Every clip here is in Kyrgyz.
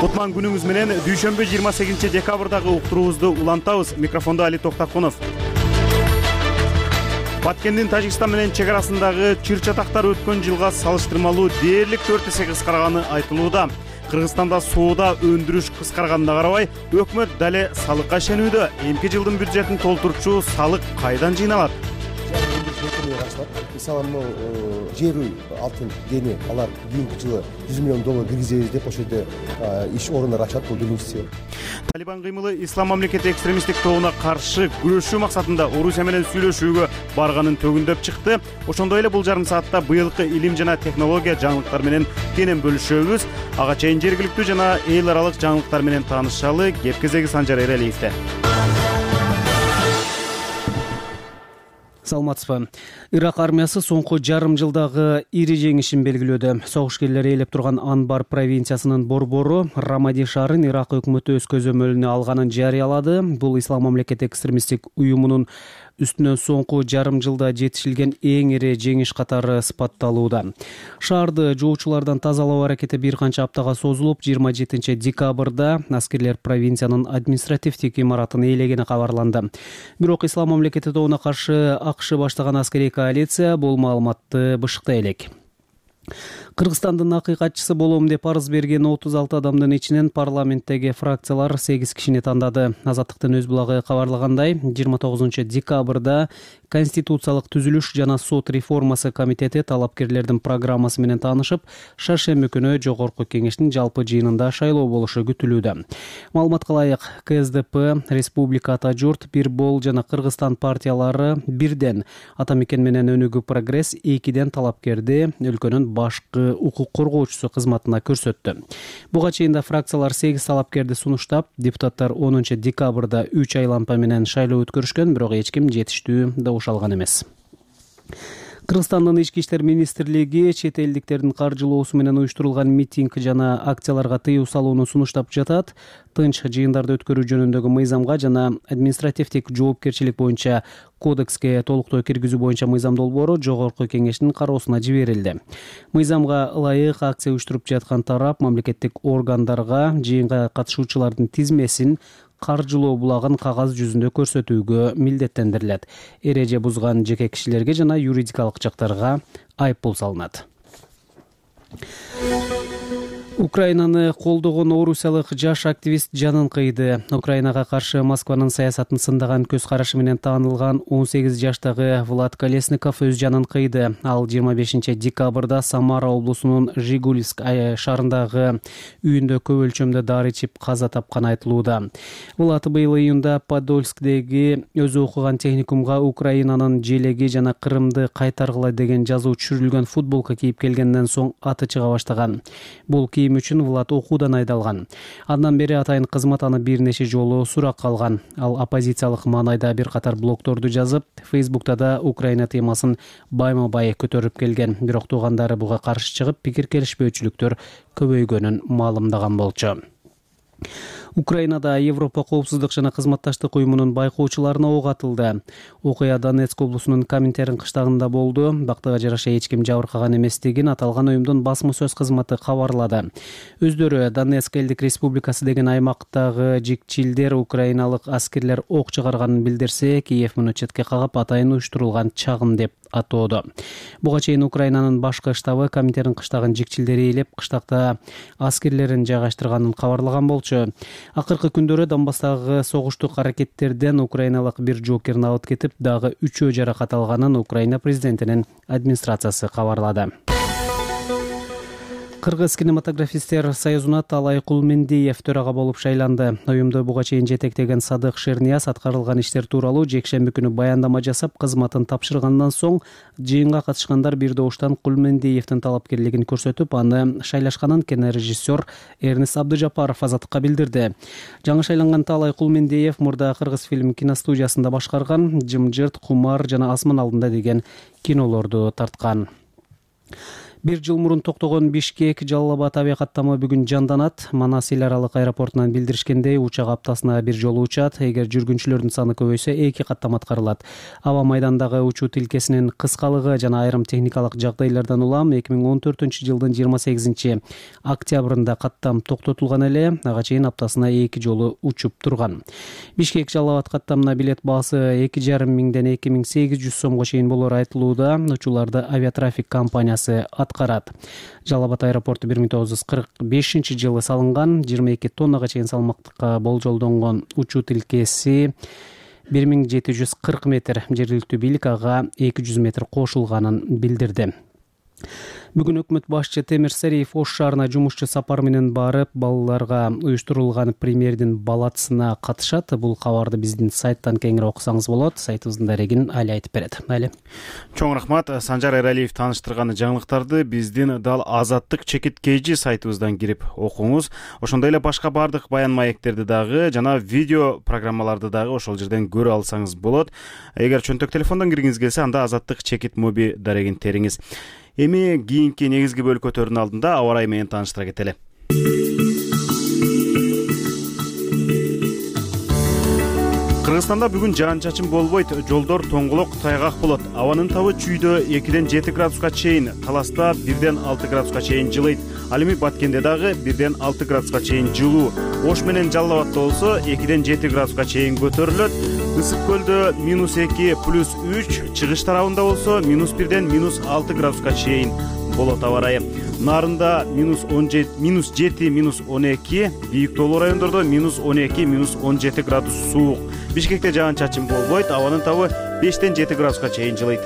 Кутман күнүңүз менен дүйшөмбү 28 декабрдагы уктуруубузду улантабыз. Микрофондо Али Токтакунов. Баткендин Тажикстан менен чек арасындагы чыр-чатактар өткөн жылга салыштырмалуу дээрлик 4 эсе кыскарганы айтылууда. Кыргызстанда соода өндүрүш кыскарганына карабай, өкмөт дале салыкка ишенүүдө. Эмки жылдын бюджетин толтурчу салык кайдан жыйналат? Мисалы, жер үй, алтын, кени, алар кийинки жылы $100 миллион киргизебиз деп ошол жерде иш орундары ачат. Бул биринчиси. Талибан кыймылы Ислам мамлекети экстремисттик тобуна каршы күрөшүү максатында Орусия менен сүйлөшүүгө барганын төгүндөп чыкты. Ошондой эле бул жарым саатта быйылкы илим жана технология жаңылыктары менен кенен бөлүшөбүз. Ага чейин жергиликтүү жана эл аралык жаңылыктар менен таанышалы. Кеп кезеги Санжар Эралиевде. Саламатсызбы. Ирак армиясы соңку жарым жылдагы ири жеңишин белгилөөдө. Согушкерлер ээлеп турган Анбар провинциясынын борбору Рамади шаарын Ирак өкмөтү өз көзөмөлүнө алганын жарыялады. Бул Ислам мамлекети экстремисттик уюмунун үстүнөн соңку жарым жылда жетишилген эң ири жеңиш катары сыпатталууда. Шаарды жоочулардан тазалоо аракети бир канча аптага созулуп, 27 декабрда аскерлер провинциянын административдик имаратын ээлегени кабарланды. Бирок Ислам мамлекети тобуна каршы АКШ баштаган аскерий коалиция бул маалыматты бышыктай элек. Кыргызстандын акыйкатчысы болом деп арыз берген 36 адамдын ичинен парламенттеги фракциялар 8 кишини тандады. Азаттыктын өз булагы кабарлагандай, 29 декабрда Конституциялык түзүлүш жана сот реформасы комитети талапкерлердин программасы менен таанышып, шаршемби күнү жогорку кеңештин жалпы жыйынында шайлоо болушу күтүлүүдө. Маалыматка ылайык, КСДП, Республика Ата журт, Бир бол жана Кыргызстан партиялары бирден, Ата мекен менен Өнүгүү прогресс экиден талапкерди өлкөнүн башкы укук коргоочусу кызматына көрсөттү. Буга чейин да фракциялар 8 талапкерди сунуштап, депутаттар 10 декабрда 3 айлампа менен шайлоо өткөрүшкөн, бирок эч ким жетиштүү добуш алган эмес. Кыргызстандын ички иштер министрлиги чет элдиктердин каржылоосу менен уюштурулган митинг жана акцияларга тыюу салууну сунуштап жатат. Тынч жыйындарды өткөрүү жөнүндөгү мыйзамга жана административдик жоопкерчилик боюнча кодекске толуктоо киргизүү боюнча мыйзам долбоору жогорку кеңештин кароосуна жиберилди. Мыйзамга ылайык акция уюштуруп жаткан тарап мамлекеттик органдарга жыйынга катышуучулардын тизмесин, каржылоо булагын кагаз жүзүндө көрсөтүүгө милдеттендирилет. Эреже бузган жеке кишилерге жана юридикалык жактарга айыппул салынат. Украинаны колдогон орусиялык жаш активист жанын кыйды. Украинага каршы Москванын саясатын сындаган көз карашы менен таанылган 18 жаштагы Влад Колесников өз жанын кыйды. Ал 25 декабрда Самара облусунун Жигулевск шаарындагы үйүндө көп өлчөмдө дары ичип каза тапканы айтылууда. Влад быйыл июнда Подольскдеги өзү окуган техникумга Украинанын желеги жана Крымды кайтаргыла деген жазуу түшүрүлгөн футболка кийип келгенден соң аты чыга баштаган. Бул кийим үчүн Влад окуудан айдалган. Андан бери атайын кызмат аны бир нече жолу суракка алган. Ал оппозициялык маанайда бир катар блогторду жазып, Фейсбукта да Украина темасын байма-бай көтөрүп келген. Бирок туугандары буга каршы чыгып, пикир келишпөөчүлүктөр көбөйгөнүн маалымдаган болчу. Украинада Европа коопсуздук жана кызматташтык уюмунун байкоочуларына ок атылды. Окуя Донецк облусунун Коминтерн кыштагында болду. Бактыга жараша эч ким жабыркаган эместигин аталган уюмдун басма сөз кызматы кабарлады. Өздөрү Донецк элдик республикасы деген аймактагы жикчилдер украиналык аскерлер ок чыгарганын билдирсе, Киев муну четке кагып атайын уюштурулган чагым деп атоодо. Буга чейин Украинанын башкы штабы Коминтерн кыштагын жикчилдери ээлеп, кыштакта аскерлерин жайгаштырганын кабарлаган болчу. Акыркы күндөрү Донбасстагы согуштук аракеттерден украиналык бир жоокерин алып кетип, дагы 3 жаракат алганын Украина президентинин администрациясы кабарлады. Кыргыз кинематографисттер союзуна Талай Кулмендиев төрага болуп шайланды. Уюмду буга чейин жетектеген Садык Шернияз аткарылган иштер тууралуу жекшемби күнү баяндама жасап, кызматын тапшыргандан соң жыйынга катышкандар бир добуштан Кулмендиевдин талапкерлигин көрсөтүп, аны шайлашканын кинорежиссер Эрнис Абдыжапаров Азаттыкка билдирди. Жаңы шайланган Талай Кулмендиев мурда Кыргыз фильм киностудиясында башкарган Жымжырт, Кумар жана Асман алдында деген кинолорду тарткан. 1 жыл мурун токтогон Бишкек Жалал Абад авиа каттамы бүгүн жанданат. Манас эл аралык аэропортунан билдиришкендей, учак аптасына 1 жолу учат. Эгер жүргүнчүлөрдүн саны көбөйсө 2 каттама аткарылат. Аба майдандагы учуу тилкесинин кыскалыгы жана айрым техникалык жагдайлардан улам 2014-жылдын 28 октябрында каттам токтотулган эле, ага чейин аптасына 2 жолу учуп турган. Бишкек Жалал Абад каттамына билет баасы 2,5 миңден 2800 сомго чейин болору айтылууда. Учууларды Авиатрафик компаниясы аткарат. Жалал Абад аэропорту 1945-жылы салынган, 22 тоннага чейин салмактыкка болжолдонгон учуу тилкеси 1740 метр. Жергиликтүү бийлик ага 200 метр кошулганын билдирди. Бүгүн өкмөт башчы Темир Сариев Ош шаарына жумушчу сапар менен барып, балаларга уюштурулган премьердин балатысына катышат. Бул кабарды биздин сайттан кеңири окусаңыз болот. Сайтыбыздын дарегин Али айтып берет. Али. Чоң рахмат. Санжар Эралиев тааныштырган жаңылыктарды биздин дал Азаттык чекиткейжи сайтыбыздан кирип окуңуз. Ошондой эле башка бардык баян маектерди дагы жана видео программаларды дагы ошол жерден көрө алсаңыз болот. Эгер чөнтөк телефондон киргиңиз келсе, анда Азаттык чекит моби дарегин териңиз. Эми кийинки негизги бөлүк өтөрүнүн алдында аба ырайы менен тааныштыра кетели. Кыргызстанда бүгүн жаан-чачын болбойт, жолдор тоңголок, тайгак болот. Абанын табы чүйдө 2ден 7 градуска чейин, Таласта 1ден 6 градуска чейин жылыйт. Ал эми Баткенде дагы 1ден 6 градуска чейин жылуу. Ош менен Жалал Абадта болсо 2ден 7 градуска чейин көтөрүлөт. Ысык көлдө -2 +3, чыгыш тарабында болсо -1ден -6 градуска чейин болот аба ырайы. Нарында -17, -12, бийик тоолуу райондордо -12, -17 градус суук. Бишкекте жаан-чачын болбойт, абанын табы 5ден 7 градуска чейин жылыйт.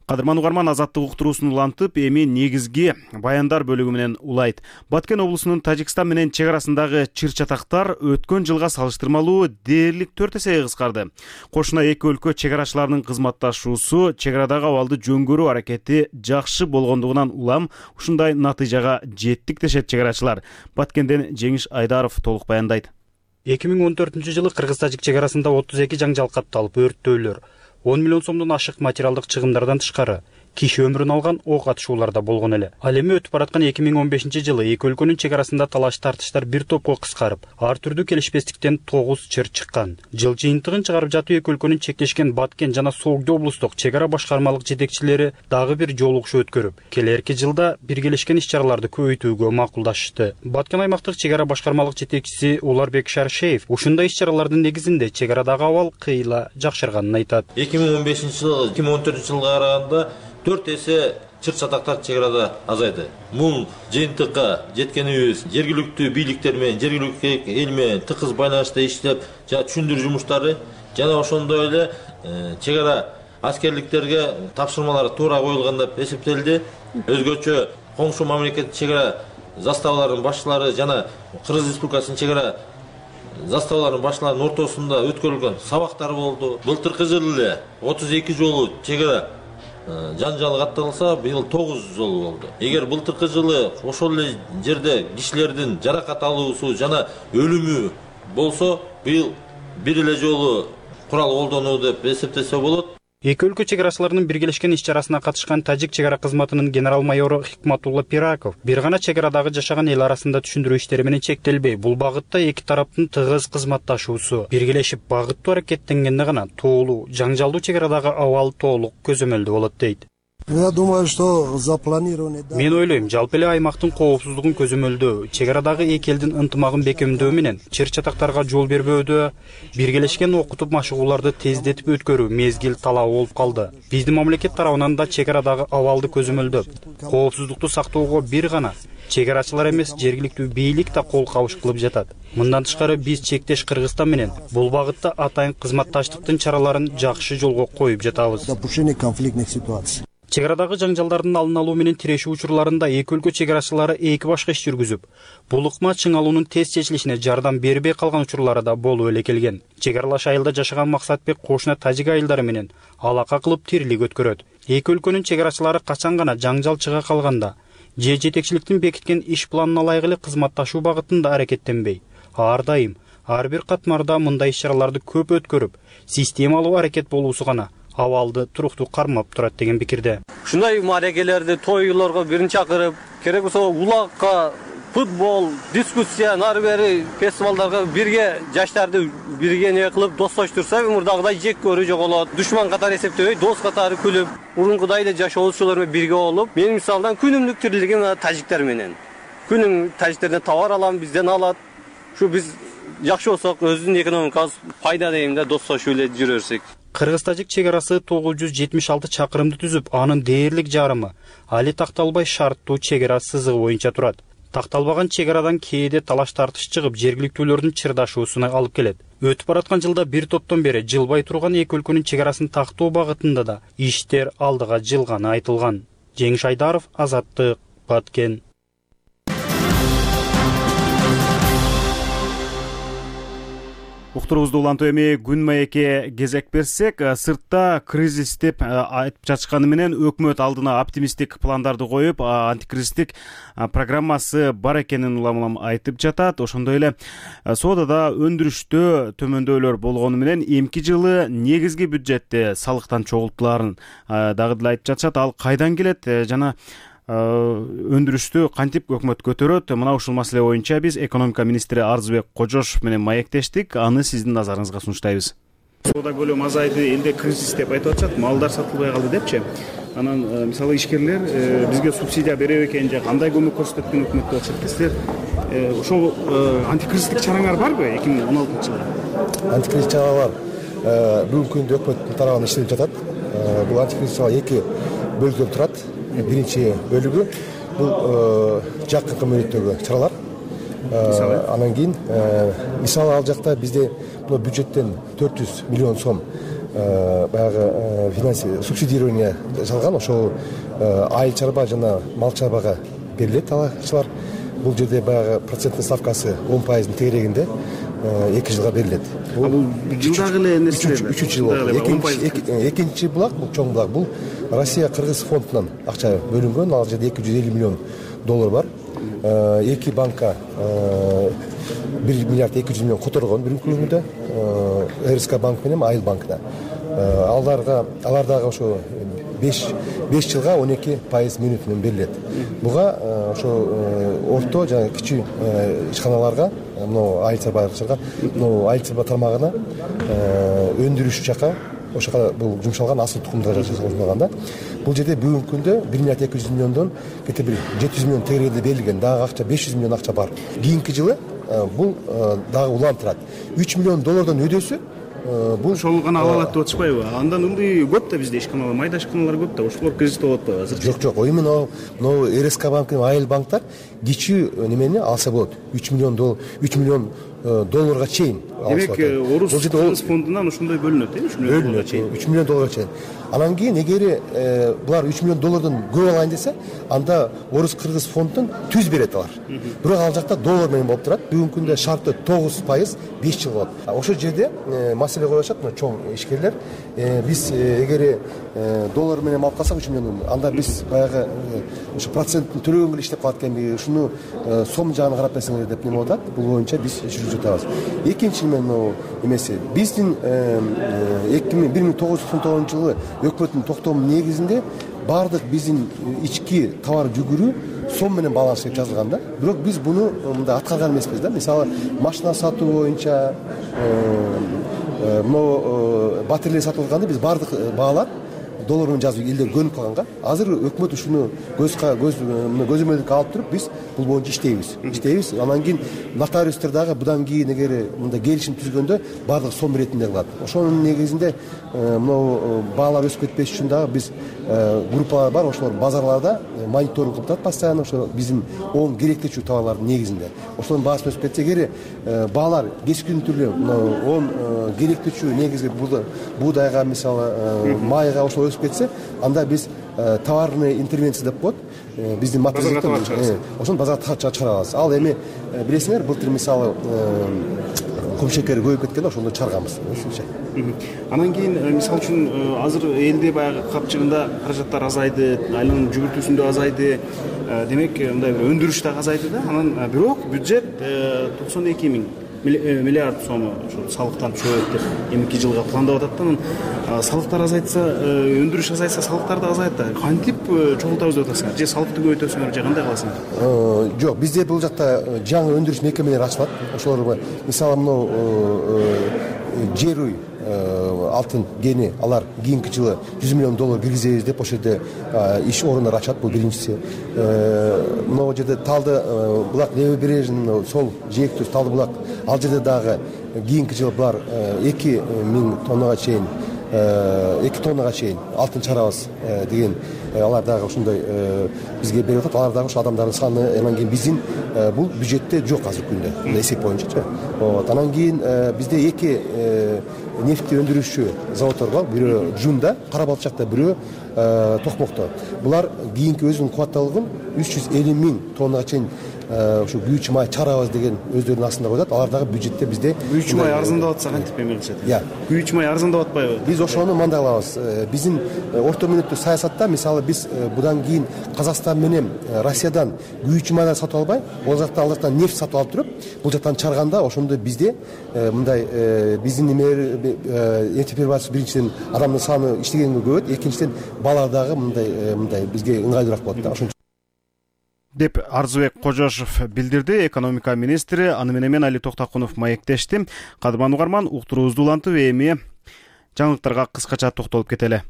Кадырман угарман, Азаттык уктуруусун улантып, эми негизги баяндар бөлүгү менен улайт. Баткен облусунун Тажикстан менен чек арасындагы чыр-чатактар өткөн жылга салыштырмалуу дээрлик 4 эсе кыскарды. Кошуна эки өлкө чек арачыларынын кызматташуусу, чек арадагы абалды жөн көрүү аракети жакшы болгондугунан улам ушундай натыйжага жеттик дешет чек арачылар. Баткенден Жеңиш Айдаров толук баяндайт. 2014-жылы Кыргыз-Тажик чек арасында 32 жаңжал катталып, өрттөөлөр, 10 миллион сомдон ашык материалдык чыгымдардан тышкары киши өмүрүн алган ок атышуулар да болгон эле. Ал эми өтүп бараткан 2015-жылы эки өлкөнүн чек арасында талаш тартыштар бир топко кыскарып, ар түрдүү келишпестиктен 9 чыр чыккан. Жыл жыйынтыгын чыгарып жатуу эки өлкөнүн чектешкен Баткен жана Согду облустук чек ара башкармалык жетекчилери дагы бир жолугушуу өткөрүп, келерки жылда биргелешкен иш-чараларды көбөйтүүгө макулдашышты. Баткен аймактык чек ара башкармалык жетекчиси Уларбек Шаршеев ушундай иш-чаралардын негизинде чек арадагы абал кыйла жакшырганын айтат. 2015-жылы 2014-жылга караганда 4 эсе чыр-чатактар чек арада азайды. Бул жыйынтыкка жеткенибиз жергиликтүү бийликтер менен, жергиликтүү эл менен тыгыз байланышта иштеп, жана түшүндүрүү жумуштары жана ошондой эле чек ара аскерликтерге тапшырмалар туура коюлган деп эсептелди. Өзгөчө коңшу мамлекет чек ара заставаларынын башчылары жана Кыргыз Республикасынын чек ара заставаларынын башчыларынын ортосунда өткөрүлгөн сабактар болду. Былтыркы жылы эле 32 жолу чек ара жанжал катталса, быйыл 9 жолу болду. Эгер былтыркы жылы ошол эле жерде кишилердин жаракат алуусу жана өлүмү болсо, быйыл бир эле жолу курал колдонуу деп эсептесе болот. Эки өлкө чек арачыларынын биргелешкен иш-чарасына катышкан Тажик чек ара кызматынын генерал-майору Хикматулла Пираков бир гана чек арадагы жашаган эл арасында түшүндүрүү иштери менен чектелбей, бул багытта эки тараптын тыгыз кызматташуусу, биргелешип багыттуу аракеттенгенде гана тоолуу, жаңжалдуу чек арадагы абал толук көзөмөлдүү болот дейт. Я думаю, что запланированы... Мен ойлойм, жалпы эле аймактын коопсуздугун көзөмөлдөө, чек арадагы эки элдин ынтымагын бекемдөө менен чыр-чатактарга жол бербөөдө, биргелешкен окутуп машыгууларды тездетип өткөрүү мезгил талабы болуп калды. Биздин мамлекет тарабынан да чек арадагы абалды көзөмөлдөп, коопсуздукту сактоого бир гана чек арачылар эмес, жергиликтүү бийлик да кол кабыш кылып жатат. Мындан тышкары биз чектеш Кыргызстан менен бул багытта атайын кызматташтыктын чараларын жакшы жолго коюп жатабыз. Допущение конфликтных ситуаций. Чек арадагы жаңжалдардын алын алуу менен тирешүү учурларында эки өлкө чек арачылары эки башка иш жүргүзүп, бул ыкма чың алуунун тез чечилишине жардам бербей калган учурлары да болуп эле келген. Чек аралаш айылда жашаган Максатбек кошуна тажик айылдары менен алака кылып тирилик өткөрөт. Эки өлкөнүн чек арачылары качан гана жаңжал чыга калганда же жетекчиликтин бекиткен иш планына ылайык эле кызматташуу багытында аракеттенбей, ар дайым ар бир катмарда мындай иш-чараларды көп өткөрүп, системалуу аракет болуусу гана абалды туруктуу кармап турат деген пикирде. Ушундай мааракелерди, тойлорго бирин чакырып, керек болсо улакка, футбол, дискуссия, нары бери фестивалдарга бирге жаштарды бирге не кылып достоштурса, мурдагыдай жек көрүү жоголот. Душман катары эсептебей, дос катары күлүп, мурункудай эле жашоочулар менен бирге болуп, мен мисалдан күнүмдүк тирилигим тажиктер менен. Күнүм тажиктерден товар алам, бизден алат. Ушу биз жакшы болсок, өзүнүн экономикабыз пайда дейм да, достошуп эле жүрө берсек. Кыргыз-тажик чек арасы 976 чакырымды түзүп, анын дээрлик жарымы али такталбай шарттуу чек ара сызыгы боюнча турат. Такталбаган чек арадан кээде талаш тартыш чыгып, жергиликтүүлөрдүн чырдашуусуна алып келет. Өтүп бараткан жылда бир топтон бери жылбай турган эки өлкөнүн чек арасын тактоо багытында да иштер алдыга жылганы айтылган. Жеңиш Айдаров, Азаттык, Баткен. Уктурубузду улантуу эми күн маекке кезек берсек, сыртта кризис деп айтып жатышканы менен өкмөт алдына оптимисттик пландарды коюп, антикризистик программасы бар экенин улам айтып жатат. Ошондой эле соодада өндүрүштө төмөндөөлөр болгону менен эмки жылы негизги бюджетте салыктан чогултулаарын дагы деле айтып жатышат. Ал кайдан келет жана өндүрүштү кантип өкмөт көтөрөт? Мына ушул маселе боюнча биз экономика министри Арзыбек Кожошов менен маектештик. Аны сиздин назарыңызга сунуштайбыз. Соода көлөмү азайды, элде кризис деп айтып атышат, малдар сатылбай калды депчи. Анан мисалы ишкерлер бизге субсидия берет экен, же кандай көмөк көрсөтөт экен өкмөт деп атышат. Силер ошол антикризистик чараңар барбы 2016-жылы? Антикризис чаралар бүгүнкү күндө өкмөттүн тарабынан иштелип жатат. Бул антикризис чаралар эки бөлүктөн турат. Биринчи бөлүгү бул жакынкы мөөнөттөгү чаралар. Анан кийин мисалы ал жакта бизде бюджеттен 400 миллион сом баягы финансовый субсидирование жасалган. Ошол айыл чарба жана мал чарбага берилет алачылар. Бул жерде баягы проценттин ставкасы 10%-ын тегерегинде 2 жылга берилет. Бул жылдагы эле нерселер. 3 жыл болот. Экинчи булак, бул чоң булак, бул Россия Кыргыз фондунан акча бөлүнгөн. Ал жерде 250 миллион доллар бар. Эки банка 1 миллиард 200 миллион которгон бүгүнкү күндө. РСК банк менен Айыл банкына. Алар дагы ошо 5 жылга 12% мөөнөт менен берилет. Буга ошо орто жана кичүү ишканаларга, айыл чарбачыларга, айыл чарба тармагына өндүрүш жака ошока бул жумшалган асыл тукумдар жасалганда, бул жерде бүгүнкү күндө 1 миллиард 200 миллиондон кете бир 700 миллион тегерегинде берилген. Дагы акча 500 миллион акча бар. Кийинки жылы бул дагы улантырат. 3 миллион доллардан өдөсү бул ошол гана ала алат деп атышпайбы? Андан ылдый көп да бизде ишканалар, майда ишканалар көп да. Ошолор кризис болуп атпайбы азыр? Жок, именно РСК банк менен Айыл банктар кичүү немени алса болот. 3 миллион долларга чейин. Демек, Орус Кыргыз фондунан ошондой бөлүнөт, 3 миллион долларга чейин. 3 миллион долларга чейин. Анан кийин эгер булар 3 миллион доллардан көп алайын десе, анда Орус Кыргыз фондун түз берет алар. Бирок ал жакта доллар менен болуп турат. Бүгүнкү күндө шарты 9%, 5 жыл болот. Ошол жерде маселе коюшат, чоң ишкерлер. Биз эгер доллар менен алып калсак 3 миллион, анда биз баягы ошо проценттин төлөгөнгө иштеп калат экенби, ушуну сом жагына карап берсеңер деп неме болуп атат. Бул боюнча биз жүрүп жатабыз. Экинчи эмеси, биздин 1999 жылы өкмөттүн токтомунун негизинде баардык биздин ички товар жүгүрү сом менен баланс деп жазылган да. Бирок биз буну мында аткарган эмеспиз да. Мисалы, машина сатуу боюнча батарея сатылганда биз баардык баалар доллар менен жазып элдер көнүп калганга. Азыр өкмөт ушуну көзөмөлдүккө алып туруп биз бул боюнча иштейбиз. Анан кийин нотариустар дагы будан кийин эгер мында келишим түзгөндө баардык сом иретинде кылат. Ошонун негизинде баалар өсүп кетпеш үчүн дагы биз группалар бар, ошолор базарларда мониторинг кылып турат постоянно, ошо биздин оң керектүүчү товарлардын негизинде. Ошонун баасы өсүп кетсе, эгер баалар кескин түрдө оң керектүүчү негизги буудайга, мисалы майга ошол өсүп кетсе, анда биз товарный интервенция деп коет. Биздин материалдык ошону базарга чыгарабыз. Ал эми билесиңер, былтыр мисалы кумшекер көбөйүп кеткенде ошондо чыгарганбыз. Анан кийин мисалы үчүн азыр элде баягы капчыгында каражаттар азайды, айланын жүгүртүүсүндө азайды. Демек, мындай бир өндүрүш да азайды да. Анан бирок бюджет 92 миң миллиард сом ушул салыктан түшөт деп эмки жылга пландап атат да. Анан салыктар азайтса, өндүрүш азайса, салыктар да азайат да. Кантип чогултабыз деп атасыңар? Же салыкты көбөйтөсүңөр, же кандай кыласыңар? Жок, бизде бул жакта жаңы өндүрүш мекемелери ачылат. Ошолор мисалы мынау Жеруй алтын кени, алар кийинки жылы $100 миллион киргизебиз деп ошол жерде иш орундар ачат. Бул биринчиси. Могу жерде Талды булак левобережный, сол жээктүү Талды булак, ал жерде дагы кийинки жылы булар 2000 тоннага чейин 2 тоннага чейин алтын чыгарабыз деген алар дагы ушундай бизге берип атат. Алар дагы ошо адамдардын саны, анан кийин биздин бул бюджетте жок азыркы күндө эсеп боюнчачы. Анан кийин бизде 2 нефть өндүрүүчү заводдор бар. Бирөө Жунда, Кара Балчакта, бирөө Токмокто. Булар кийинки өзүнүн кубаттуулугун 350 000 тоннага чейин ушу күйүүчү май чыгарабыз деген өздөрүнүн астында коет. Алар дагы бюджетте бизде күйүүчү май арзандап атса кантип эме кылышат? Күйүүчү май арзандап атпайбы? Биз ошону мындай кылабыз. Биздин орто мүнөттүү саясатта, мисалы биз будан кийин Казакстан менен Россиядан күйүүчү майдар сатып албай, ал жактан нефть сатып алып туруп, бул жактан чыгарганда ошондо бизде мындай биздин нефтеперерабатчы биринчиден адамдын саны иштегенге көбөйөт, экинчиден баалар дагы мындай бизге ыңгайлуураак болот да. Ошон деп Арзыбек Кожошов билдирди. Экономика министри аны менен Али Токтакунов маектешти. Кадырман угарман, уктуруубузду улантып, эми жаңылыктарга кыскача токтолуп кетели.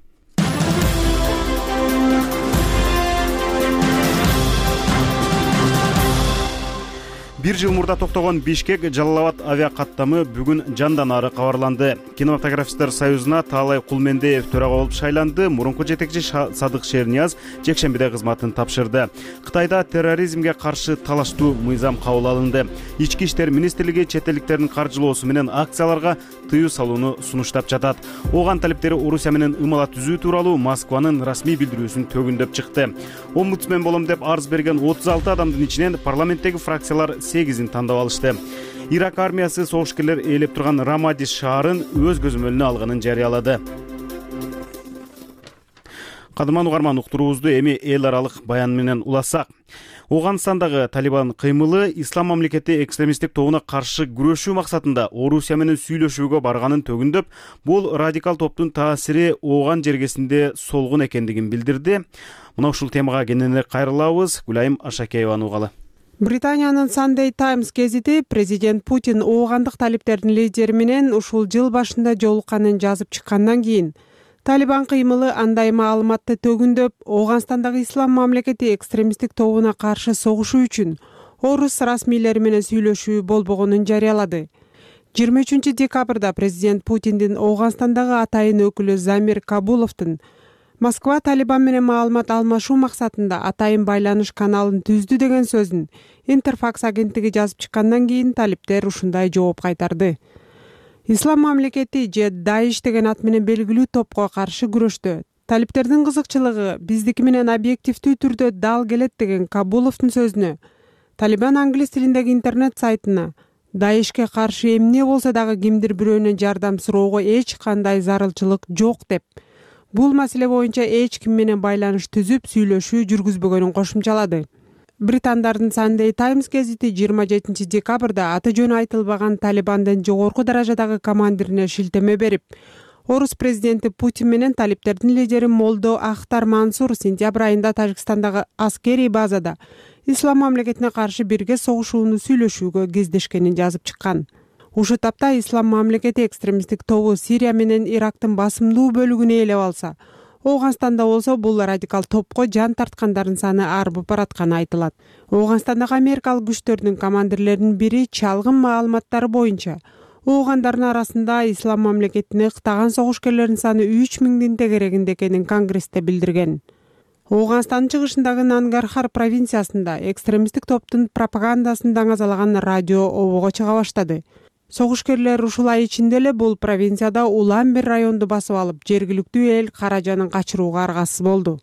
Бир жыл мурда токтогон Бишкек-Жалал Абад авиакаттамы бүгүн жандан ары кабарланды. Кинематографисттер союзуна Таалай Кулмендеев төрага болуп шайланды. Мурунку жетекчи Садык Шернияз жекшембиде кызматын тапшырды. Кытайда терроризмге каршы талаштуу мыйзам кабыл алынды. Ички иштер министрлиги чет элдиктердин каржылоосу менен акцияларга тыюу салууну сунуштап жатат. Оган талиптери Орусия менен ымала түзүү тууралуу Москванын расмий билдирүүсүн төгүндөп чыкты. Омбудсмен болом деп арыз берген 36 адамдын ичинен парламенттеги фракциялар 8-ин тандап алышты. Ирак армиясы согушкерлер ээлеп турган Рамади шаарын өз көзөмөлүнө алганын жарыялады. Кадырман угарман, уктуруубузду эми эл аралык баян менен улассак. Оганстандагы Талибан кыймылы Ислам мамлекети экстремисттик тобуна каршы күрөшүү максатында Орусия менен сүйлөшүүгө барганын төгүндөп, бул радикал топтун таасири Оган жергесинде солгун экендигин билдирди. Мына ушул темага кененирээк кайрылабыз. Гүлайым Ашакееваны угалы. Британиянын Sunday Times гезити президент Путин оогандык талиптердин лидери менен ушул жыл башында жолукканын жазып чыккандан кийин Талибан кыймылы андай маалыматты төгүндөп, Оганстандагы Ислам мамлекети экстремисттик тобуна каршы согушуу үчүн орус расмийлери менен сүйлөшүү болбогонун жарыялады. 23 декабрда президент Путиндин Оганстандагы атайын өкүлү Замир Кабуловдун Москва Талибан менен маалымат алмашуу максатында атайын байланыш каналын түздү деген сөзүн Интерфакс агенттиги жазып чыккандан кийин талиптер ушундай жооп кайтарды. Ислам мамлекети же Даиш деген ат менен белгилүү топко каршы күрөштө талиптердин кызыкчылыгы биздики менен объективдүү түрдө дал келет деген Кабуловдун сөзүнө Талибан англис тилиндеги интернет сайтына Даишке каршы эмне болсо дагы кимдир бирөөнөн жардам суроого эч кандай зарылчылык жок деп, бул маселе боюнча эч ким менен байланыш түзүп сүйлөшүү жүргүзбөгөнүн кошумчалады. Британдардын Sunday Times гезити 27 декабрда аты жөнү айтылбаган Талибандын жогорку даражадагы командирине шилтеме берип, орус президенти Путин менен талиптердин лидери Молдо Ахтар Мансур сентябрь айында Тажикстандагы аскерий базада Ислам мамлекетине каршы бирге согушууну сүйлөшүүгө кездешкенин жазып чыккан. Ушул тапта Ислам мамлекети экстремисттик тобу Сирия менен Ирактын басымдуу бөлүгүн ээлеп алса, Оганстанда болсо бул радикал топко жан тарткандардын саны арбып баратканы айтылат. Оганстандагы америкалык күчтөрдүн командирлеринин бири чалгын маалыматтары боюнча оогандардын арасында Ислам мамлекетине ыктаган согушкерлердин саны 3000 тегерегинде экенин Конгрессте билдирген. Оганстандын чыгышындагы Нангархар провинциясында экстремисттик топтун пропагандасын даңазалаган радио обого чыга баштады. Согушкерлер ушул ай ичинде эле бул провинцияда улам бир районду басып алып, жергиликтүү эл каражанын качырууга аргасыз болду.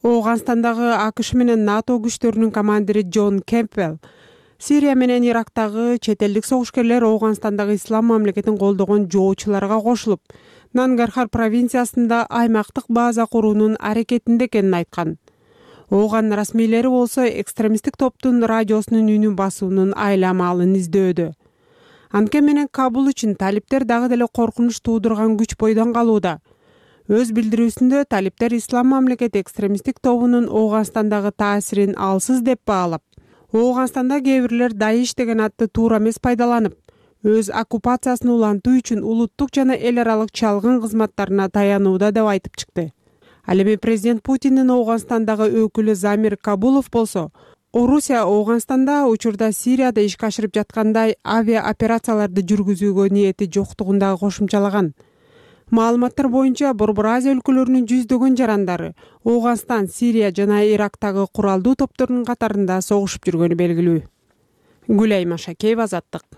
Оганстандагы АКШ менен НАТО күчтөрүнүн командири Джон Кемпбелл Сирия менен Ирактагы чет элдик согушкерлер Оганстандагы Ислам мамлекетин колдогон жоочуларга кошулуп, Нангархар провинциясында аймактык база куруунун аракетинде экенин айткан. Оган расмийлери болсо экстремисттик топтун радиосунун үнүн басуунун айламалын издөөдө. Анткени менен Кабул үчүн талиптер дагы деле коркунуч туудурган күч бойдон калууда. Өз билдирүүсүндө талиптер Ислам мамлекети экстремисттик тобунун Ооганстандагы таасирин алсыз деп баалап, Ооганстанда кээ бирлер Даиш деген атты туура эмес пайдаланып, өз оккупациясын улантуу үчүн улуттук жана эл аралык чалгын кызматтарына таянууда деп айтып чыкты. Ал эми президент Путиндин Ооганстандагы өкүлү Замир Кабулов болсо, Орусия Ооганстанда учурда Сирияда ишке ашырып жаткандай авиа операцияларды жүргүзүүгө ниети жоктугун дагы кошумчалаган. Маалыматтар боюнча Борбор Азия өлкөлөрүнүн жүздөгөн жарандары Ооганстан, Сирия жана Ирактагы куралдуу топтордун катарында согушуп жүргөнү белгилүү. Гүлайым Ашакеева, Азаттык.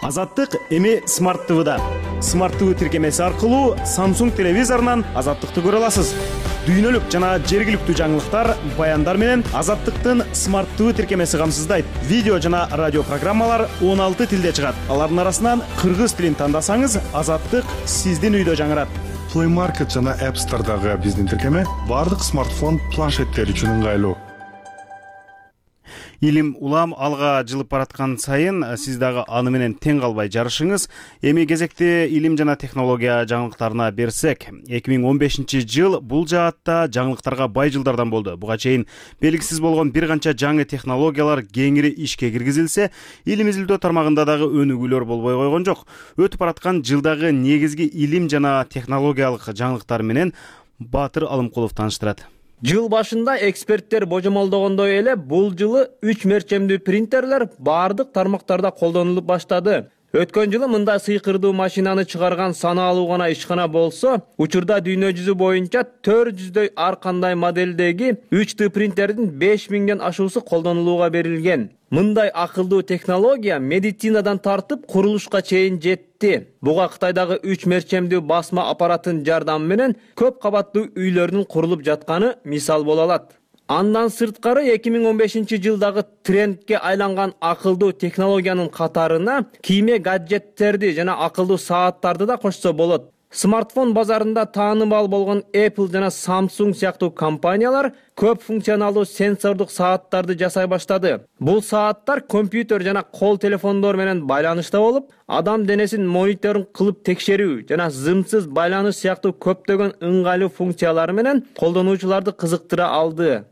Азаттык эми Smart TV'да. Smart TV тиркемеси аркылуу Samsung телевизорунан Азаттыкты көрө аласыз. Дүйнөлүк жана жергиликтүү жаңылыктар, баяндар менен Азаттыктын Smart TV тиркемеси камсыздайт. Видео жана радио программалар 16 тилде чыгат. Алардын арасынан кыргыз тилин тандасаңыз, Азаттык сиздин үйдө жаңырат. Play Market жана App Store'дагы биздин тиркеме бардык смартфон, планшеттер үчүн ыңгайлуу. Илим улам алга жылып бараткан сайын сиз дагы аны менен тең калбай жарышыңыз. Эми кезекте илим жана технология жаңылыктарына берсек, 2015-жыл бул жаатта жаңылыктарга бай жылдардан болду. Буга чейин белгисиз болгон бир канча жаңы технологиялар кеңири ишке киргизилсе, илим изилдөө тармагында дагы өнүгүүлөр болбой койгон жок. Өтүп бараткан жылдагы негизги илим жана технологиялык жаңылыктар менен Батыр Алымкулов тааныштырат. Жыл башында эксперттер божомолдогондой эле бул жылы 3 мерчемдүү принтерлер бардык тармактарда колдонулуп баштады. Өткөн жылы мындай сыйкырдуу машинаны чыгарган санаалуу гана ишкана болсо, учурда дүйнө жүзү боюнча 400дөй ар кандай модельдеги 3D принтердин 5000ден ашуусу колдонулууга берилген. Мындай акылдуу технология медицинадан тартып курулушка чейин жетти. Буга Кытайдагы 3 мерчемдүү басма аппараттын жардамы менен көп кабаттуу үйлөрдүн курулуп жатканы мисал боло алат. Андан сырткары 2015-жылдагы трендке айланган акылдуу технологиянын катарына кийме гаджеттерди жана акылдуу сааттарды да кошсо болот. Смартфон базарында таанымал болгон Apple жана Samsung сыяктуу компаниялар көп функционалдуу сенсордук сааттарды жасай баштады. Бул сааттар компьютер жана кол телефондор менен байланышта болуп, адам денесин мониторун кылып текшерүү жана зымсыз байланыш сыяктуу көптөгөн ыңгайлуу функциялары менен колдонуучуларды кызыктыра алды.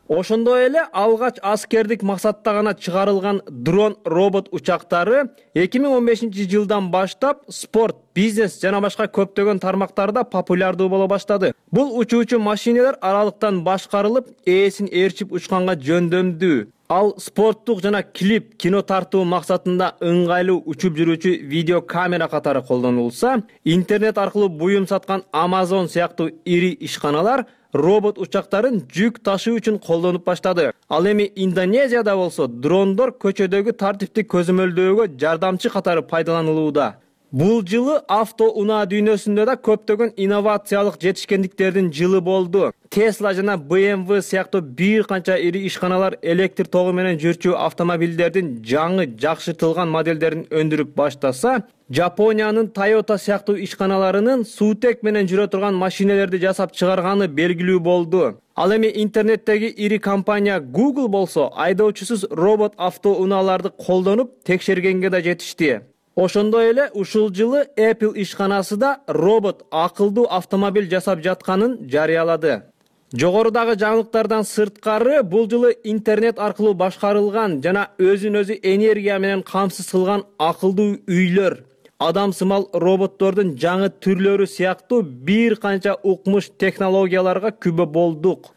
Ошондой эле алгач аскердик максатта гана чыгарылган дрон робот учактары 2015-жылдан баштап спорт, бизнес жана башка көптөгөн тармактарда популярдуу боло баштады. Бул учуучу машинелер аралыктан башкарылып, ээсин ээрчип учканга жөндөмдүү. Ал спорттук жана клип, кино тартуу максатында ыңгайлуу учуп жүрүүчү видео камера катары колдонулса, интернет аркылуу буюм саткан Amazon сыяктуу ири ишканалар робот учактарын жүк ташуу үчүн колдонуп баштады. Ал эми Индонезияда болсо дрондор көчөдөгү тартипти көзөмөлдөөгө жардамчы катары пайдаланылууда. Бул жылы авто унаа дүйнөсүндө да көптөгөн инновациялык жетишкендиктердин жылы болду. Tesla жана BMW сыяктуу бир канча ири ишканалар электр тогу менен жүрчү автомобилдердин жаңы жакшыртылган модельдерин өндүрүп баштаса, Жапониянын Toyota сыяктуу ишканаларынын суутек менен жүрө турган машинелерди жасап чыгарганы белгилүү болду. Ал эми интернеттеги ири компания Google болсо айдоочусуз робот авто унааларды колдонуп текшергенге да жетишти. Ошондой эле ушул жылы Apple ишканасы да робот акылдуу автомобиль жасап жатканын жарыялады. Жогорудагы жаңылыктардан сырткары бул жылы интернет аркылуу башкарылган жана өзүн өзү энергия менен камсыз кылган акылдуу үйлөр, адамсымал роботтордун жаңы түрлөрү сыяктуу бир канча укмуш технологияларга күбө болдук.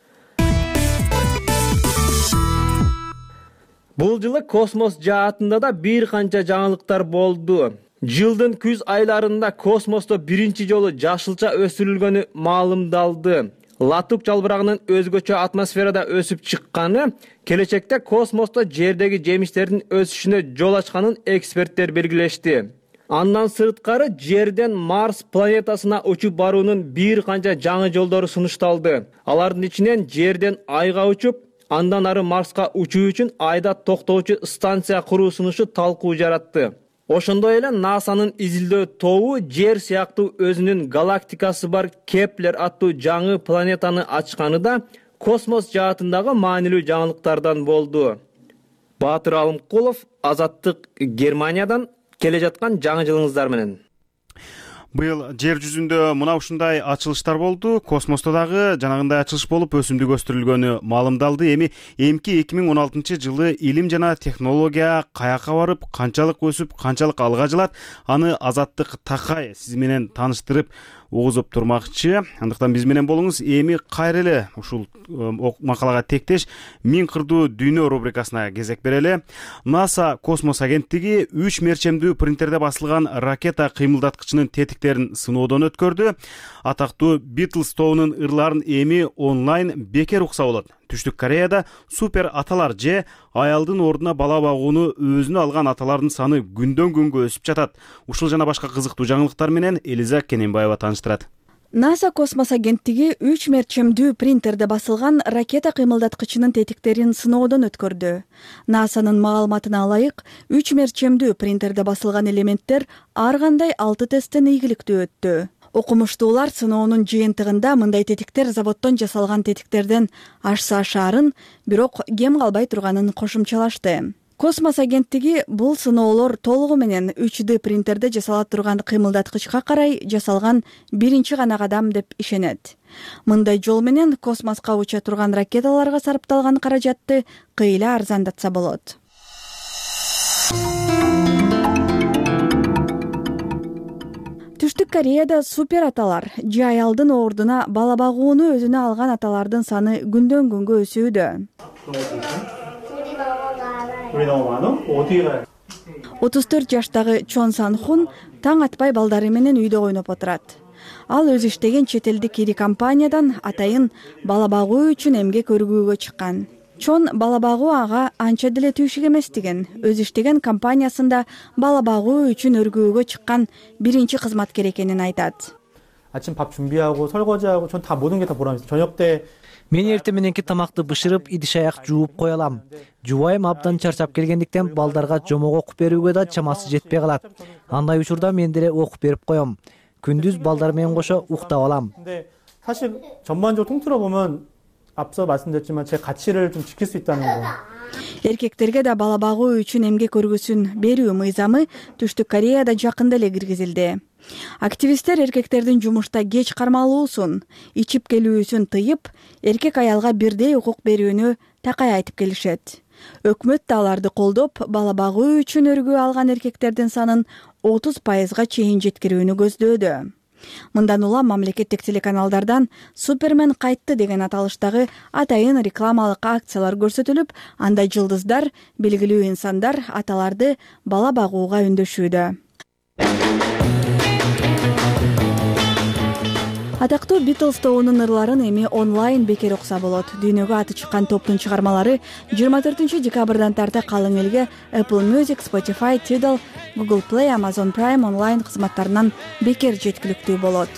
Бул жылы космос жаатында да бир канча жаңылыктар болду. Жылдын күз айларында космосто биринчи жолу жашылча өсүрүлгөнү маалымдалды. Латук жалбырагынын өзгөчө атмосферада өсүп чыкканы келечекте космосто жердеги жемиштердин өсүшүнө жол ачканын эксперттер белгилешти. Андан сырткары жерден Марс планетасына учуп баруунун бир канча жаңы жолдору сунушталды. Алардын ичинен жерден Айга учуп, андан ары Марска учуу үчүн Айда токтоочу станция куруу сунушу талкуу жаратты. Ошондой эле НАСАнын изилдөө тобу Жер сыяктуу өзүнүн галактикасы бар Кеплер аттуу жаңы планетаны ачканы да космос жаатындагы маанилүү жаңылыктардан болду. Баатыр Алымкулов, Азаттык, Германиядан. Келе жаткан жаңы жылыңыздар менен. Быйыл жер жүзүндө мына ушундай ачылыштар болду. Космосто дагы жанагындай ачылыш болуп өсүмдүк өстүрүлгөнү маалымдалды. Эми эмки 2016-жылы илим жана технология каяка барып, канчалык өсүп, канчалык алга жылат, аны Азаттык Такай сиз менен тааныштырып угузуп турмакчы. Андыктан биз менен болуңуз. Эми кайра эле ушул макалага тектеш Миң кырдуу дүйнө рубрикасына кезек берели. НАСА космос агенттиги 3 мерчемдүү принтерде басылган ракета кыймылдаткычынын тетиктерин сыноодон өткөрдү. Атактуу Beatles тобунун ырларын эми онлайн бекер укса болот. Түштүк Кореяда супер аталар же аялдын ордуна бала багууну өзүнө алган аталардын саны күндөн күнгө өсүп жатат. Ушул жана башка кызыктуу жаңылыктар менен Элиза Кененбаева тааныштырат. НАСА космос агенттиги 3 мерчемдүү принтерде басылган ракета кыймылдаткычынын тетиктерин сыноодон өткөрдү. НАСАнын маалыматына ылайык, 3 мерчемдүү принтерде басылган элементтер ар кандай 6 тесттен ийгиликтүү өттү. Окумуштуулар сыноонун жыйынтыгында мындай тетиктер заводдон жасалган тетиктерден ашса ашаарын, бирок кем калбай турганын кошумчалашты. Космос агенттиги бул сыноолор толугу менен 3D принтерде жасала турган кыймылдаткычка карай жасалган биринчи гана кадам деп ишенет. Мындай жол менен космоска уча турган ракеталарга сарпталган каражатты кыйла арзандатса болот. Түштүк Кореяда супер аталар же аялдын ордуна бала багууну өзүнө алган аталардын саны күндөн күнгө өсүүдө. 34 жаштагы Чон Сан Хун таң атпай балдары менен үйдө ойноп отурат. Ал өзү иштеген чет элдик ири компаниядан атайын бала багуу үчүн эмгек өргүүгө чыккан. Чон бала багуу ага анча деле түйшүк эмес деген. Өзү иштеген компаниясында бала багуу үчүн өргүүгө чыккан биринчи кызматкер экенин айтат. 아침 밥 준비하고 설거지하고 전 다 모든 게 다 보람 있어요. 저녁 때 Мен эртең мененки тамакты бышырып, идиш-аяк жууп кое алам. Жубайым абдан чарчап келгендиктен балдарга жомок окуп берүүгө да чамасы жетпей калат. Андай учурда мен деле окуп берип коем. Күндүз балдар менен кошо уктап алам. 근데 사실 전반적으로 통틀어 보면 앞서 말씀드렸지만 제 가치를 좀 지킬 수 있다는 거. Эркектерге да бала багуу үчүн эмгек өргүсүн берүү мыйзамы Түштүк Кореяда жакында эле киргизилди. Активисттер эркектердин жумушта кеч кармалуусун, ичип келүүсүн тыйып, эркек аялга бирдей укук берүүнү такай айтып келишет. Өкмөт да аларды колдоп, бала багуу үчүн өргүү алган эркектердин санын 30%га чейин жеткирүүнү көздөөдө. Мындан улам мамлекеттик телеканалдардан Супермен кайтты деген аталыштагы атайын рекламалык акциялар көрсөтүлүп, анда жылдыздар, белгилүү инсандар аталарды бала багууга үндөшүүдө. Атактуу Beatles тобунун ырларын эми онлайн бекер укса болот. Дүйнөгө аты чыккан топтун чыгармалары 24 декабрдан тарта калың элге Apple Music, Spotify, Tidal, Google Play, Amazon Prime онлайн кызматтарынан бекер жеткиликтүү болот.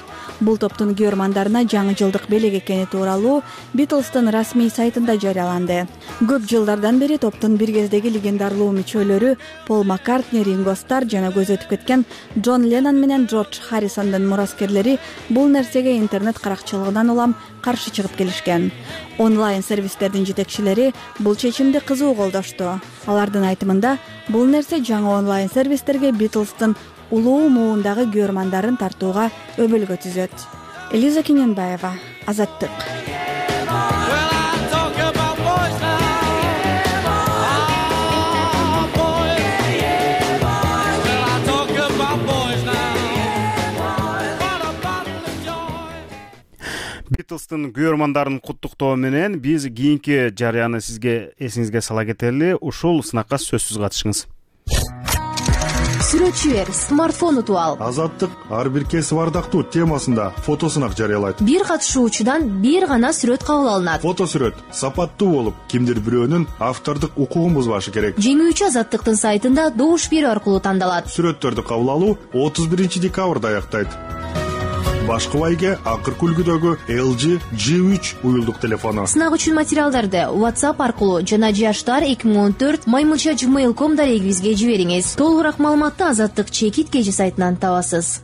Бул топтун көрмандарына жаңы жылдык белек экени тууралуу Beatles'тын расмий сайтында жарыяланды. Көп жылдардан бери топтун бир кездеги легендарлуу мүчөлөрү Пол Маккартни, Ринго Стар жана көз өтүп кеткен Джон Леннон менен Джордж Харрисондун мураскерлери бул нерсеге интернет каракчылыгынан улам каршы чыгып келишкен. Онлайн сервистердин жетекчилери бул чечимди кызуу колдошту. Алардын айтымында, бул нерсе жаңы онлайн сервистерге Beatles'тын улуу муундагы көрмандарын тартууга өбөлгө түзөт. Элиза Кененбаева, Азаттык. Beatles'тын көрмандарын куттуктоо менен биз кийинки жарыяны сизге эсиңизге сала кетели. Ушул сынакка сөзсүз катышыңыз. Сүрөтчүлөр смартфон утуп ал. Азаттык ар бир кесип ардактуу темасында фотосунак жарыялайт. Бир катышуучудан бир гана сүрөт кабыл алынат. Фотосүрөт сапаттуу болуп, кимдир бирөөнүн автордук укугун бузбашы керек. Жеңүүчү Азаттыктын сайтында добуш берүү аркылуу тандалат. Сүрөттөрдү кабыл алуу 31 декабрда аяктайт. Башкы байге акыркы үлгүдөгү LG G3 уюлдук телефону. Сынак үчүн материалдарды WhatsApp аркылуу жана jashtar2014@gmail.com дарегибизге жибериңиз. Толугураак маалыматты Азаттык чекит кежи сайтынан табасыз.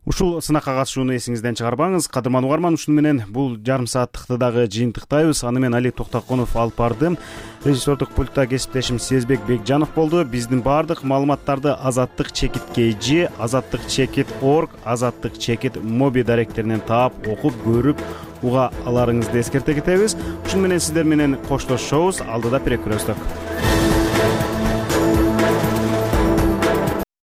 Ушул сынакка катышууну эсиңизден чыгарбаңыз. Кадырман угарман, ушуну менен бул жарым сааттыкты дагы жыйынтыктайбыз. Аны мен Али Токтоконов алып бардым. Режиссердук пультта кесиптешим Сезбек Бекжанов болду. Биздин баардык маалыматтарды Азаттык чекит KG, Азаттык чекит org, Азаттык чекит моби даректеринен таап, окуп, көрүп уга аларыңызды эскерте кетебиз. Ушуну менен сиздер менен коштошобуз. Алдыда перекүрөстүк.